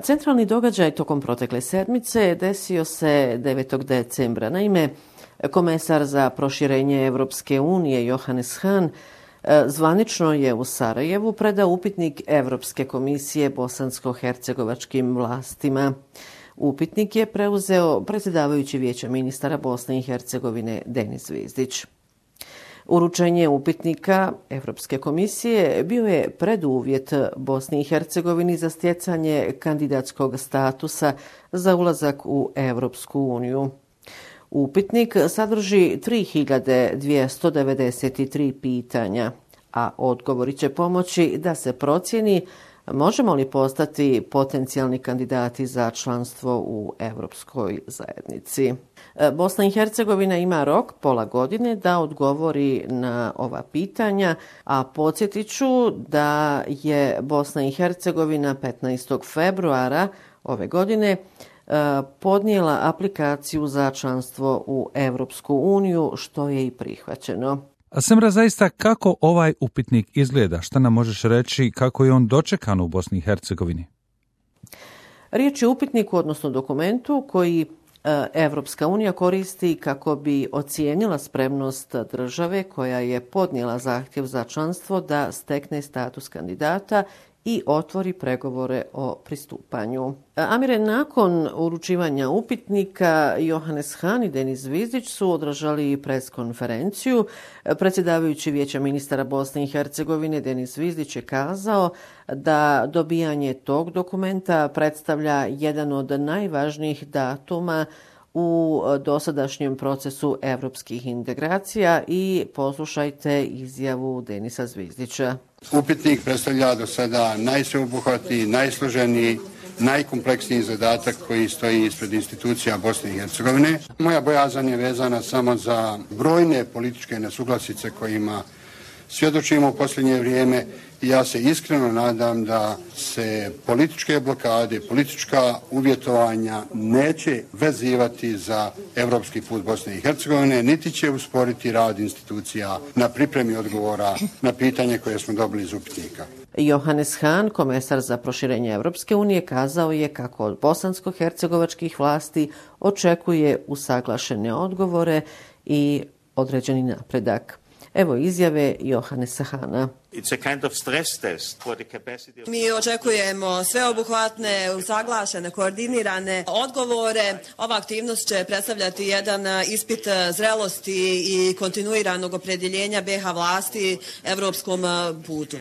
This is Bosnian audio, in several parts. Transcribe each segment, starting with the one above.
Centralni događaj tokom protekle sedmice desio se 9. decembra. Naime, komesar za proširenje Evropske unije Johannes Hahn zvanično je u Sarajevu predao upitnik Evropske komisije bosansko-hercegovačkim vlastima. Upitnik je preuzeo predsjedavajući Vijeća ministara Bosne i Hercegovine Denis Zvizdić. Uručenje upitnika Evropske komisije bio je preduvjet Bosni i Hercegovini za stjecanje kandidatskog statusa za ulazak u Evropsku uniju. Upitnik sadrži 3293 pitanja, a odgovori će pomoći da se procijeni možemo li postati potencijalni kandidati za članstvo u Evropskoj zajednici. Bosna i Hercegovina ima rok pola godine da odgovori na ova pitanja, a podsjetit ću da je Bosna i Hercegovina 15. februara ove godine podnijela aplikaciju za članstvo u Evropsku uniju, što je i prihvaćeno. A Semra, zaista kako ovaj upitnik izgleda? Šta nam možeš reći kako je on dočekan u Bosni i Hercegovini? Riječ je o upitniku, odnosno dokumentu koji Evropska unija koristi kako bi ocijenila spremnost države koja je podnijela zahtjev za članstvo da stekne status kandidata i otvori pregovore o pristupanju. Amire, nakon uručivanja upitnika, Johannes Hahn i Denis Zvizdić su održali preskonferenciju. Predsjedavajući Vijeća ministara Bosne i Hercegovine Denis Zvizdić je kazao da dobijanje tog dokumenta predstavlja jedan od najvažnijih datuma u dosadašnjem procesu evropskih integracija i poslušajte izjavu Denisa Zvizdića. Upitnik predstavlja do sada najsveobuhvatniji, najsloženiji, najkompleksniji zadatak koji stoji ispred institucija Bosne i Hercegovine. Moja bojazan je vezana samo za brojne političke nesuglasice kojima svjedočimo u posljednje vrijeme i ja se iskreno nadam da se političke blokade, politička uvjetovanja neće vezivati za evropski put Bosne i Hercegovine, niti će usporiti rad institucija na pripremi odgovora na pitanje koje smo dobili iz upitnika. Johannes Hahn, komesar za proširenje Evropske unije, kazao je kako od bosansko-hercegovačkih vlasti očekuje usaglašene odgovore i određeni napredak. Evo izjave Johannesa Hahna. Mi očekujemo sveobuhvatne, usaglašene, koordinirane odgovore. Ova aktivnost će predstavljati jedan ispit zrelosti i kontinuiranog opredjeljenja BiH vlasti evropskom putu.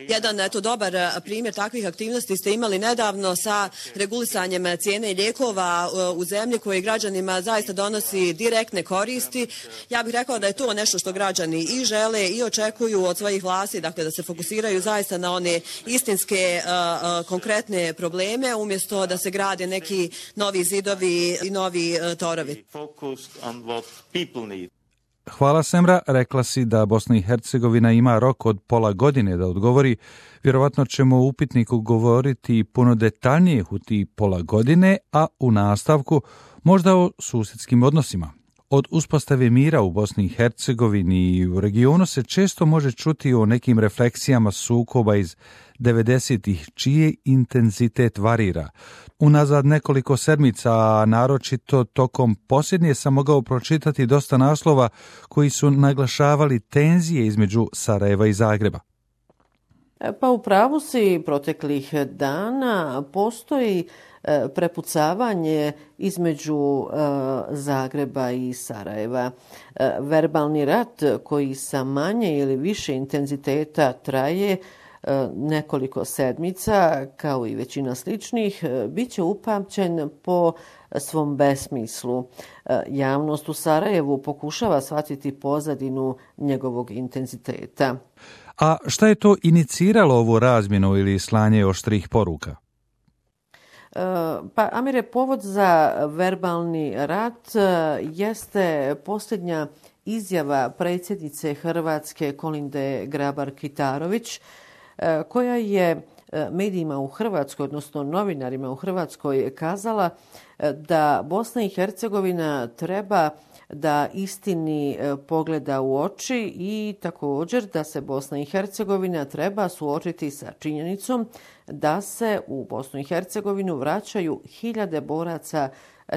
Jedan dobar primjer takvih aktivnosti ste imali nedavno sa regulisanjem cijene lijekova u zemlji koji građanima zaista donosi direktne koristi. Ja bih rekao da je to nešto što građani i žele i očekuju od svojih vlasti, dakle da se fokusiraju zaista na one istinske, konkretne probleme, umjesto da se grade neki novi zidovi i novi torovi. Hvala, Semra. Rekla si da Bosna i Hercegovina ima rok od pola godine da odgovori. Vjerovatno ćemo u upitniku govoriti puno detaljnije u ti pola godine, a u nastavku možda o susjedskim odnosima. Od uspostave mira u Bosni i Hercegovini i u regionu se često može čuti o nekim refleksijama sukoba iz 90-ih, čiji intenzitet varira. Unazad nekoliko sedmica, a naročito tokom posljednje, sam mogao pročitati dosta naslova koji su naglašavali tenzije između Sarajeva i Zagreba. Pa u pravu si, proteklih dana postoji prepucavanje između Zagreba i Sarajeva. Verbalni rat koji sa manje ili više intenziteta traje nekoliko sedmica, kao i većina sličnih, bit će upamćen po svom besmislu. Javnost u Sarajevu pokušava shvatiti pozadinu njegovog intenziteta. A šta je to iniciralo ovu razmjenu ili slanje oštrih poruka? Pa, Amire, povod za verbalni rat jeste posljednja izjava predsjednice Hrvatske Kolinde Grabar-Kitarović, koja je medijima u Hrvatskoj, odnosno novinarima u Hrvatskoj, kazala da Bosna i Hercegovina treba da istini pogleda u oči i također da se Bosna i Hercegovina treba suočiti sa činjenicom da se u Bosnu i Hercegovinu vraćaju hiljade boraca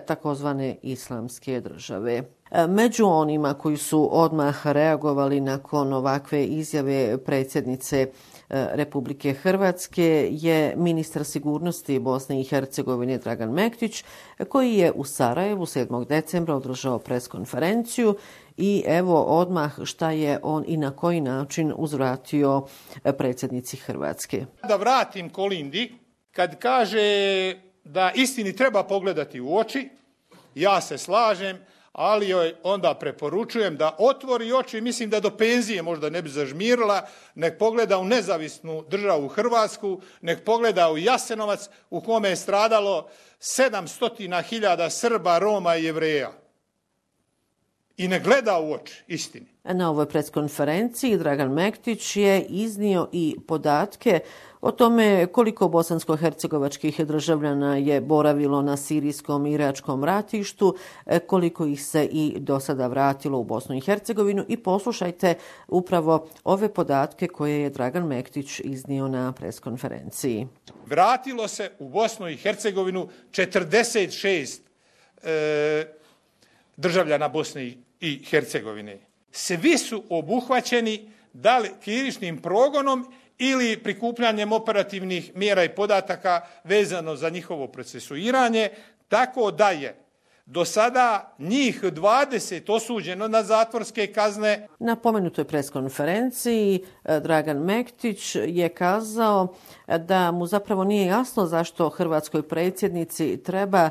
takozvane islamske države. Među onima koji su odmah reagovali nakon ovakve izjave predsjednice Republike Hrvatske je ministar sigurnosti Bosne i Hercegovine Dragan Mektić, koji je u Sarajevu 7. decembra održao preskonferenciju i evo odmah šta je on i na koji način uzvratio predsjednici Hrvatske. Da vratim Kolindi, kad kaže da istini treba pogledati u oči, ja se slažem, ali joj onda preporučujem da otvori oči, mislim da do penzije možda ne bi zažmirila, nek pogleda u nezavisnu državu Hrvatsku, nek pogleda u Jasenovac u kome je stradalo 700.000 Srba, Roma i Jevreja. I ne gleda u oči istini. Na ovoj preskonferenciji Dragan Mektić je iznio i podatke o tome koliko bosansko-hercegovačkih državljana je boravilo na sirijskom i iračkom ratištu, koliko ih se i do sada vratilo u Bosnu i Hercegovinu i poslušajte upravo ove podatke koje je Dragan Mektić iznio na preskonferenciji. Vratilo se u Bosnu i Hercegovinu 46 državljana Bosne i Hercegovine. Svi su obuhvaćeni da li krivičnim progonom ili prikupljanjem operativnih mjera i podataka vezano za njihovo procesuiranje, tako da je do sada njih 20 osuđeno na zatvorske kazne. Na pomenutoj preskonferenciji Dragan Mektić je kazao da mu zapravo nije jasno zašto hrvatskoj predsjednici treba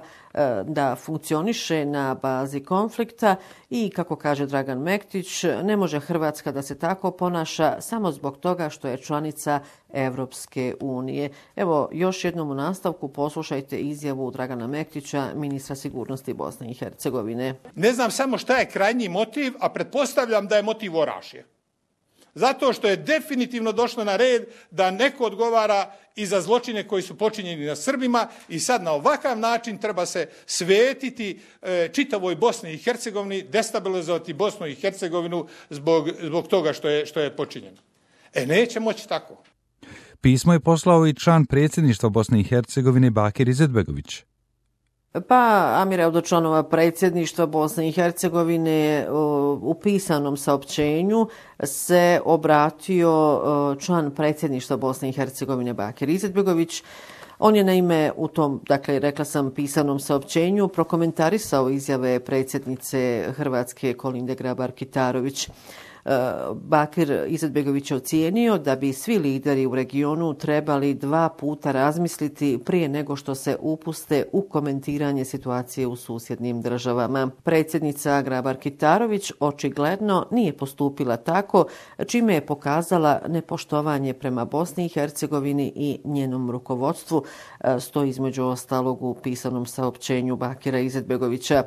da funkcioniše na bazi konflikta i, kako kaže Dragan Mektić, ne može Hrvatska da se tako ponaša samo zbog toga što je članica Evropske unije. Evo, još jednom u nastavku poslušajte izjavu Dragana Mektića, ministra sigurnosti Bosne i Hercegovine. Ne znam samo šta je krajnji motiv, a pretpostavljam da je motiv orašje. Zato što je definitivno došlo na red da neko odgovara i za zločine koji su počinjeni na Srbima i sad na ovakav način treba se svetiti čitavoj Bosni i Hercegovini, destabilizovati Bosnu i Hercegovinu zbog toga što je počinjeno. Neće moći tako. Pismo je poslao i član predsjedništva Bosne i Hercegovine Bakir Izetbegović. Pa, Amire, od članova predsjedništva Bosne i Hercegovine u pisanom saopćenju se obratio član predsjedništva Bosne i Hercegovine Bakir Izetbegović. On je naime u tom, dakle, rekla sam, pisanom saopćenju prokomentarisao izjave predsjednice Hrvatske Kolinde Grabar-Kitarović. Bakir Izetbegović je ocijenio da bi svi lideri u regionu trebali 2 puta razmisliti prije nego što se upuste u komentiranje situacije u susjednim državama. Predsjednica Grabar-Kitarović očigledno nije postupila tako, čime je pokazala nepoštovanje prema Bosni i Hercegovini i njenom rukovodstvu, stoji između ostalog u pisanom saopćenju Bakira Izetbegovića.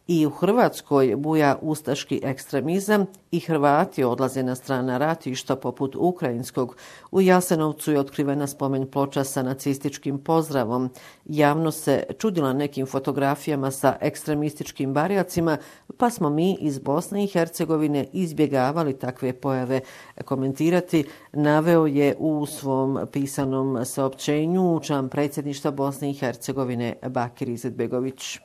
I u Hrvatskoj buja ustaški ekstremizam i Hrvati odlaze na strana ratišta poput ukrajinskog. U Jasenovcu je otkrivena spomen ploča sa nacističkim pozdravom. Javno se čudila nekim fotografijama sa ekstremističkim barjacima, pa smo mi iz Bosne i Hercegovine izbjegavali takve pojave komentirati, naveo je u svom pisanom saopćenju član predsjedništva Bosne i Hercegovine Bakir Izetbegović.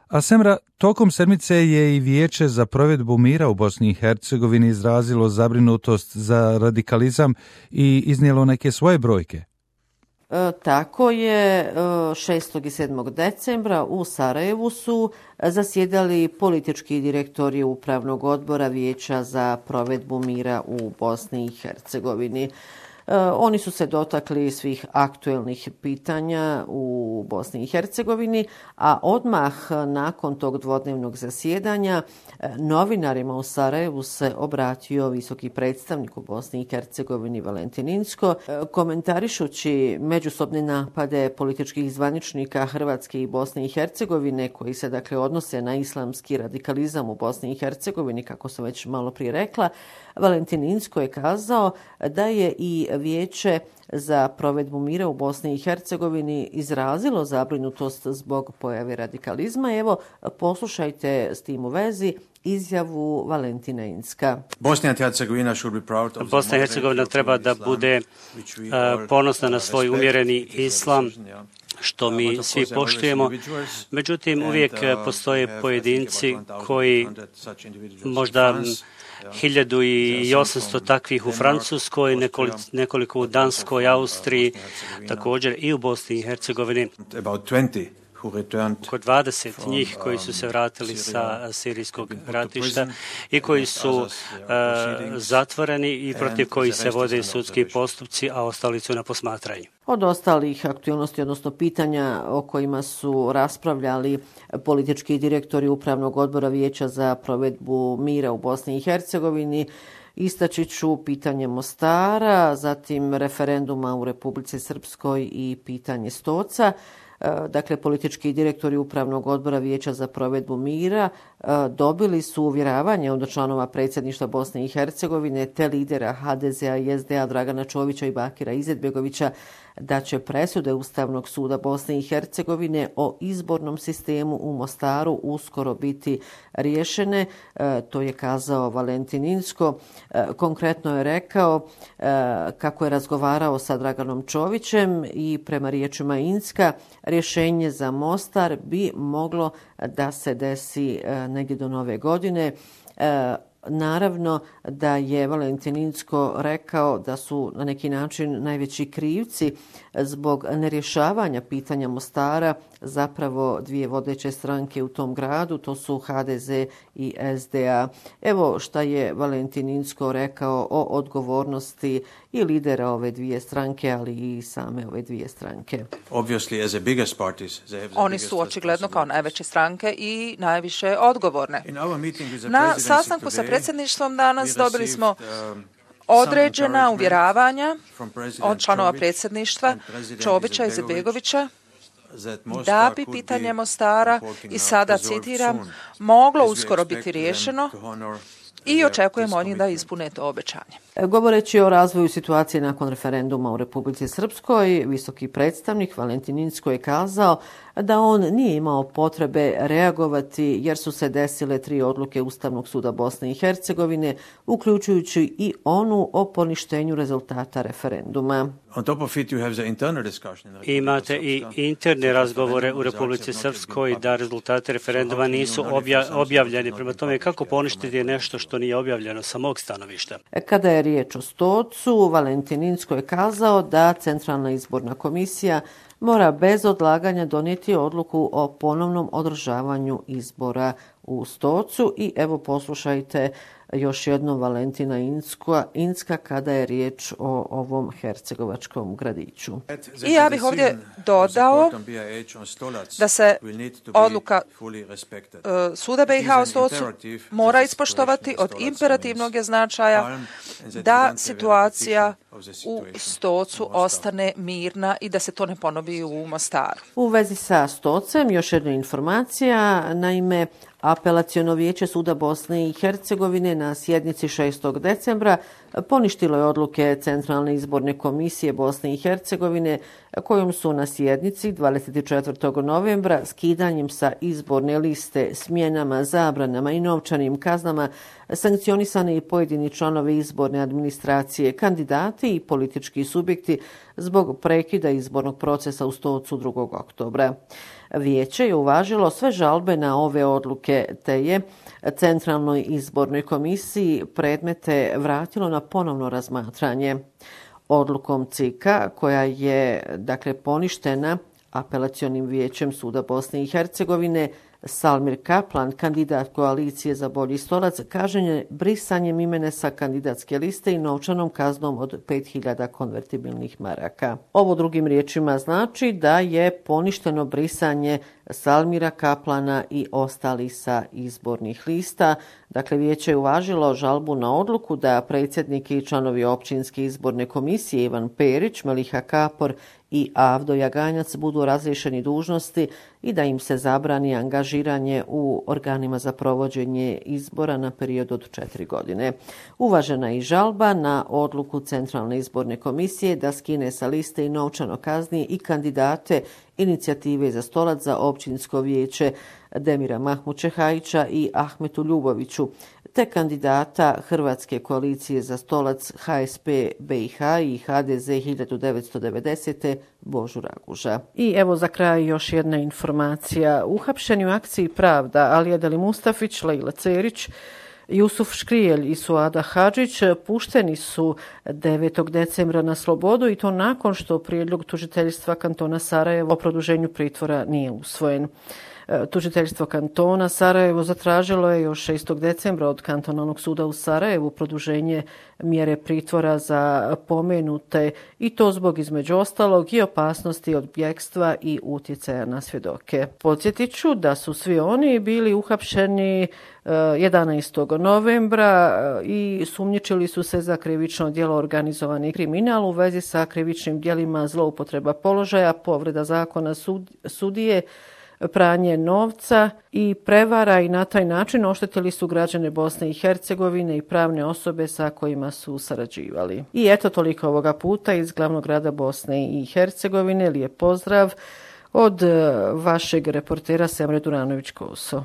A Semra, tokom sedmice je i Vijeće za provedbu mira u Bosni i Hercegovini izrazilo zabrinutost za radikalizam i iznijelo neke svoje brojke. Tako je, 6. i 7. decembra u Sarajevu su zasjedali politički direktori Upravnog odbora Vijeća za provedbu mira u Bosni i Hercegovini. Oni su se dotakli svih aktuelnih pitanja u Bosni i Hercegovini, a odmah nakon tog dvodnevnog zasjedanja novinarima u Sarajevu se obratio visoki predstavnik u Bosni i Hercegovini Valentin Inzko, komentarišući međusobne napade političkih zvaničnika Hrvatske i Bosne i Hercegovine koji se dakle odnose na islamski radikalizam u Bosni i Hercegovini, kako sam već malo prije rekla. Valentin Inzko je kazao da je i Vijeće za provedbu mira u Bosni i Hercegovini izrazilo zabrinutost zbog pojave radikalizma. Evo, poslušajte s tim u vezi izjavu Valentina Incka. Bosna i Hercegovina treba da bude ponosna na svoj umjereni islam, što mi svi poštujemo. Međutim, uvijek postoje pojedinci koji možda 1800 takvih u Francuskoj, nekoliko u Danskoj, Austriji, također i u Bosni i Hercegovini. Oko 20 njih koji su se vratili sa sirijskog ratišta i koji su zatvoreni i protiv kojih se vode sudski postupci, a ostali su na posmatranju. Od ostalih aktualnosti, odnosno pitanja o kojima su raspravljali politički direktori Upravnog odbora Vijeća za provedbu mira u Bosni i Hercegovini, istaći ću pitanje Mostara, zatim referenduma u Republici Srpskoj i pitanje Stoca. Dakle, politički direktori Upravnog odbora Vijeća za provedbu mira dobili su uvjeravanje od članova predsjedništva Bosne i Hercegovine te lidera HDZ-a i SDA Dragana Čovića i Bakira Izetbegovića da će presude Ustavnog suda Bosne i Hercegovine o izbornom sistemu u Mostaru uskoro biti riješene. To je kazao Valentin Incko. Konkretno je rekao kako je razgovarao sa Draganom Čovićem i prema riječima Incka rješenje za Mostar bi moglo da se desi negdje do nove godine. Naravno da je Valentin Incko rekao da su na neki način najveći krivci zbog nerješavanja pitanja Mostara zapravo dvije vodeće stranke u tom gradu, to su HDZ i SDA. Evo šta je Valentin Incko rekao o odgovornosti i lidera ove dvije stranke, ali i same ove dvije stranke. Oni su očigledno kao najveće stranke i najviše odgovorne. Na sastanku sa predsjedništvom danas dobili smo određena uvjeravanja od članova predsjedništva Čovića i Izetbegovića da bi pitanje Mostara, i sada citiram, moglo uskoro biti riješeno i očekujemo od njih da ispune to obećanje. Govoreći o razvoju situacije nakon referenduma u Republici Srpskoj, visoki predstavnik Valentin Incko je kazao da on nije imao potrebe reagovati jer su se desile 3 odluke Ustavnog suda Bosne i Hercegovine, uključujući i onu o poništenju rezultata referenduma. Imate i interne razgovore u Republici Srpskoj da rezultate referenduma nisu objavljeni. Prema tome, kako poništiti nešto što nije objavljeno sa mog stanovišta? Kada je riječ o Stocu, Valentin Incko je kazao da Centralna izborna komisija mora bez odlaganja donijeti odluku o ponovnom održavanju izbora u Stocu. I evo poslušajte još jednom Valentina Incka kada je riječ o ovom hercegovačkom gradiću. I ja bih ovdje dodao da se odluka Suda BiH o Stocu mora ispoštovati. Od imperativnog je značaja da situacija u Stocu ostane mirna i da se to ne ponovi u Mostaru. U vezi sa Stocem još jedna informacija, naime Apelaciono vijeće Suda Bosne i Hercegovine na sjednici 6. decembra poništilo je odluke Centralne izborne komisije Bosne i Hercegovine kojom su na sjednici 24. novembra skidanjem sa izborne liste, smjenama, zabranama i novčanim kaznama sankcionisani i pojedini članovi izborne administracije, kandidati i politički subjekti zbog prekida izbornog procesa u Stocu 2. oktobra. Vijeće je uvažilo sve žalbe na ove odluke, te je Centralnoj izbornoj komisiji predmete vratilo na ponovno razmatranje. Odlukom CIK-a, koja je poništena Apelacionim vijećem Suda Bosne i Hercegovine, Salmir Kaplan, kandidat koalicije za bolji stolac, kažnjen je brisanjem imena sa kandidatske liste i novčanom kaznom od 5000 konvertibilnih maraka. Ovo drugim riječima znači da je poništeno brisanje Salmira Kaplana i ostali sa izbornih lista. Dakle, vijeće je uvažilo žalbu na odluku da predsjednik i članovi općinske izborne komisije Ivan Perić, Meliha Kapor i Avdo Jaganjac budu razriješeni dužnosti i da im se zabrani angažiranje u organima za provođenje izbora na period od 4 godine. Uvažena je i žalba na odluku Centralne izborne komisije da skine sa liste i novčano kazni i kandidate Inicijative za stolac za općinsko vijeće Demira Mahmučehajića i Ahmetu Ljuboviću, te kandidata Hrvatske koalicije za stolac HSP BiH i HDZ 1990. Božu Raguža. I evo za kraj još jedna informacija. Uhapšeni u akciji Pravda Alija Deli Mustafić, Lejla Cerić, Jusuf Škrijelj i Suada Hadžić pušteni su 9. decembra na slobodu i to nakon što prijedlog tužiteljstva kantona Sarajevo o produženju pritvora nije usvojen. Tužiteljstvo kantona Sarajevo zatražilo je još 6. decembra od kantonalnog suda u Sarajevu produženje mjere pritvora za pomenute i to zbog između ostalog i opasnosti od bjegstva i utjecaja na svjedoke. Podsjetit ću da su svi oni bili uhapšeni 11. novembra i sumnjičili su se za krivično djelo organizovani kriminal u vezi sa krivičnim djelima zloupotreba položaja, povreda zakona sudije, pranje novca i prevara i na taj način oštetili su građane Bosne i Hercegovine i pravne osobe sa kojima su sarađivali. I eto toliko ovoga puta iz glavnog grada Bosne i Hercegovine. Lijep pozdrav od vašeg reportera Semre Duranović-Koso.